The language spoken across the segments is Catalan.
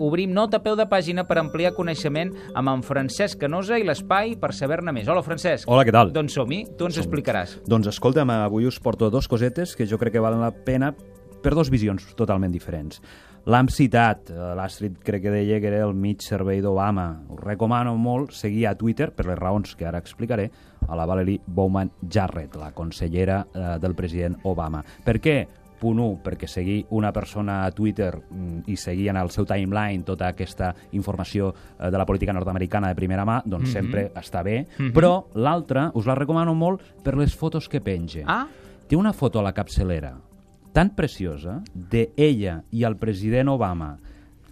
obrim nota a peu de pàgina per ampliar coneixement amb en Francesc Canosa i l'Espai per saber-ne més. Hola, Francesc. Hola, què tal? Doncs som-hi, tu ens explicaràs. Doncs escolta'm, avui us porto dos cosetes que jo crec que valen la pena per dos visions totalment diferents. L'hem citat, l'Astrid crec que deia que era el mig servei d'Obama. Us recomano molt seguir a Twitter, per les raons que ara explicaré, a la Valerie Bowman Jarrett, la consellera del president Obama. Per què? Punt 1, perquè seguir una persona a Twitter i seguir en el seu timeline tota aquesta informació de la política nord-americana de primera mà, doncs sempre està bé. Però l'altra us la recomano molt per les fotos que penja. Té una foto a la capçalera tan preciosa d'ella i el president Obama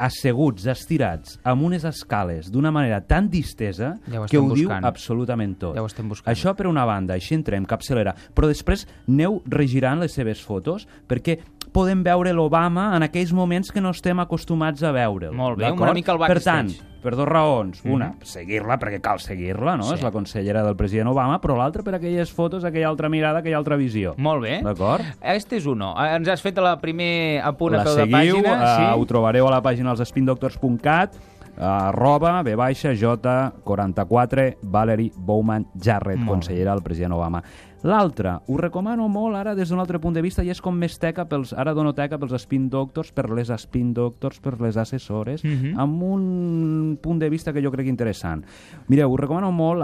asseguts, estirats, amb unes escales d'una manera tan distesa que ho diu absolutament tot. Ja ho estem buscant. Això per una banda, així entrem, capçalera, però després aneu regirant les seves fotos perquè podem veure l'Obama en aquells moments que no estem acostumats a veure'l. Molt bé, una mica el backstage. Per tant, per dues raons. Una, seguir-la, perquè cal seguir-la, no? És la consellera del president Obama, però l'altra per aquelles fotos, aquella altra mirada, aquella altra visió. Molt bé. D'acord? Este és uno. Ens has fet el primer apunt a peu de seguiu, pàgina. ho trobareu a la pàgina dels spindoctors.cat, @J44 Valerie Bowman Jarrett, consellera del president Obama. L'altra, us recomano molt ara des d'un altre punt de vista, i és com més teca pels, ara dono teca pels spin doctors, per les spin doctors, per les assessores, amb un punt de vista que jo crec interessant. Mireu, us recomano molt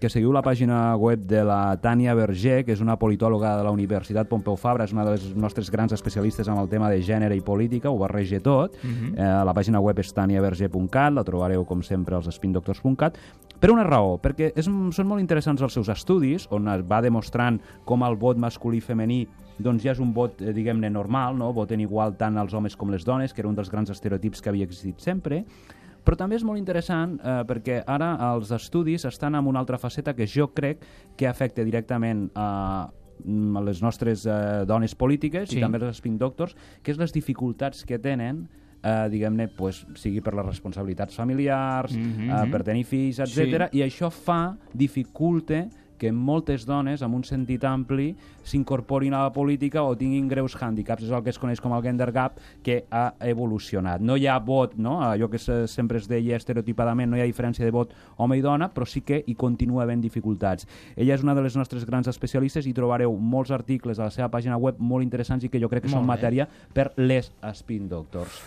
que seguiu la pàgina web de la Tània Verger, que és una politòloga de la Universitat Pompeu Fabra, és una de les nostres grans especialistes en el tema de gènere i política, ho barreja tot. La pàgina web és taniaverger.cat, la trobareu com sempre als spindoctors.cat, per una raó, perquè són molt interessants els seus estudis, on es va demostrant com el vot masculí i femení doncs ja és un vot, diguem-ne, normal, no? Voten igual tant els homes com les dones, que era un dels grans estereotips que havia existit sempre, però també és molt interessant perquè ara els estudis estan en una altra faceta que jo crec que afecta directament a les nostres dones polítiques i també els spin doctors, que és les dificultats que tenen diguem-ne, sigui per les responsabilitats familiars, per tenir fills, etc. I això dificulta que moltes dones, amb un sentit ampli, s'incorporin a la política o tinguin greus hàndicaps. És el que es coneix com el gender gap, que ha evolucionat. No hi ha vot, no? Allò que sempre es deia estereotipadament, no hi ha diferència de vot home i dona, però sí que hi continua havent dificultats. Ella és una de les nostres grans especialistes i trobareu molts articles a la seva pàgina web molt interessants i que jo crec que són matèria per les spin doctors.